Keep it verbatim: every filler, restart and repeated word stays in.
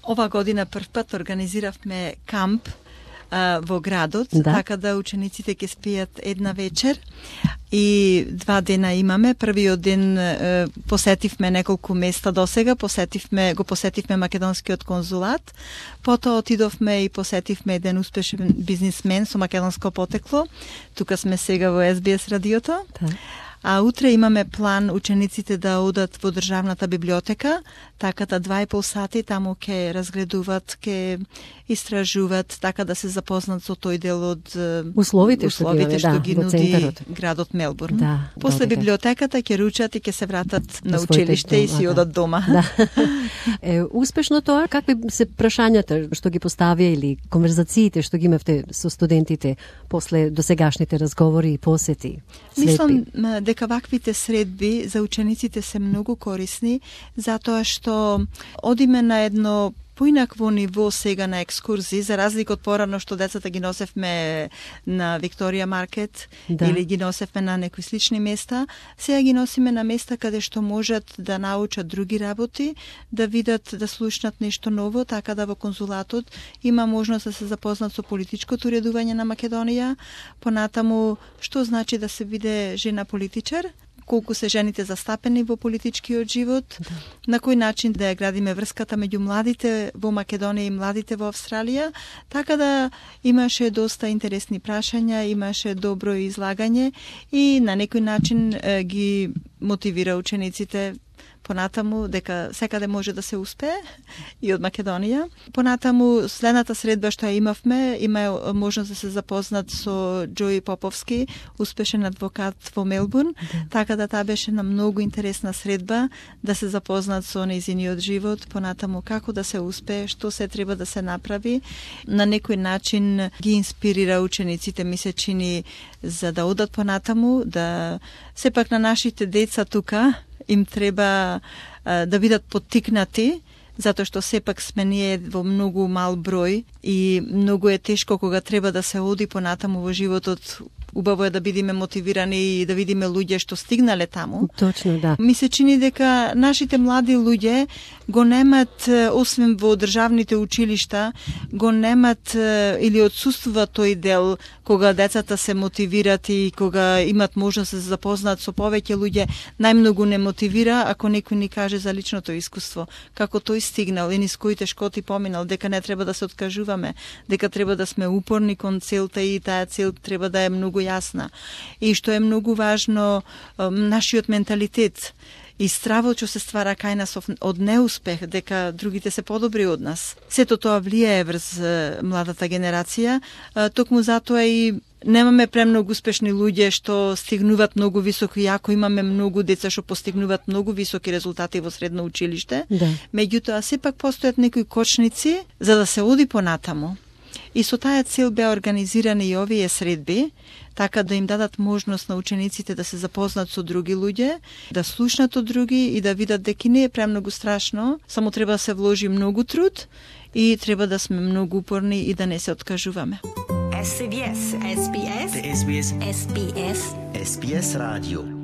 Ова година прв пат организиравме камп а, во градот, да. така да учениците ќе спијат една вечер и два дена имаме. Првиот ден е, посетивме неколку места досега, посетивме, го посетивме македонскиот конзулат, потоа отидовме и посетивме еден успешен бизнисмен со македонско потекло. Тука сме сега во Ес Би Ес радиото. Да. А утре имаме план учениците да одат во државната библиотека, така да два и пол сати таму ќе разгледуваат, ќе истражуваат, така да се запознат со тој дел од условите, условите што, што, ги да, нуди градот Мелбурн. Да, После добре. библиотеката ќе ручат и ќе се вратат на училиште и си дома, одат дома. Да. Е, успешно тоа, какви се прашањата што ги поставија или конверзациите што ги имавте со студентите после досегашните разговори и посети? Мислам дека ваквите средби за учениците се многу корисни, затоа што одиме на едно поинакво ниво сега на екскурзии, за разлика од порано што децата ги носевме на Викторија Маркет, да. или ги носевме на некои слични места, сега ги носиме на места каде што можат да научат други работи, да видат, да слушнат нешто ново, така да во конзулатот има можност да се запознат со политичкото уредување на Македонија, понатаму што значи да се биде жена политичар, колку се жените застапени во политичкиот живот, да. на кој начин да ја градиме врската меѓу младите во Македонија и младите во Австралија, така да имаше доста интересни прашања, имаше добро излагање и на некој начин е, ги мотивира учениците понатаму дека секаде може да се успее и од Македонија. Понатаму следната средба што ја имавме, има можност да се запознат со Џои Поповски, успешен адвокат во Мелбурн, да. така да таа беше на многу интересна средба да се запознат со нејзиниот живот, понатаму како да се успее, што се треба да се направи. На некој начин ги инспирира учениците, ми се чини, за да одат понатаму, да сепак на нашите деца тука им треба а, да бидат поттикнати, затоа што сепак сме ние во многу мал број и многу е тешко кога треба да се оди понатаму во животот. Убаво е да бидеме мотивирани и да видиме луѓе што стигнале таму. Точно, да. Ми се чини дека нашите млади луѓе го немат, освен во државните училишта, го немат или отсуствува тој дел кога децата се мотивират и кога имат можност да се запознаат со повеќе луѓе. Најмногу не мотивира ако некој ни каже за личното искуство, како тој стигнал и низ кои тешкоти поминал, дека не треба да се откажуваме, дека треба да сме упорни кон целта и таа цел треба да е многу јасна. И што е многу важно, нашиот менталитет и стравот што се ствара кај нас од неуспех, дека другите се подобри од нас. Сето тоа влијае врз младата генерација, токму затоа и немаме премногу успешни луѓе што стигнуваат многу високо, иако имаме многу деца што постигнуваат многу високи резултати во средно училиште. Да. Меѓутоа, сепак постојат некои кочници за да се оди понатаму. И со таа цел беа организирани и овие средби, така да им дадат можност на учениците да се запознат со други луѓе, да слушнат од други и да видат дека не е премногу страшно, само треба да се вложи многу труд и треба да сме многу упорни и да не се откажуваме. Ес Би Ес, Ес Би Ес, Ес Би Ес, Ес Би Ес, Ес Би Ес радио.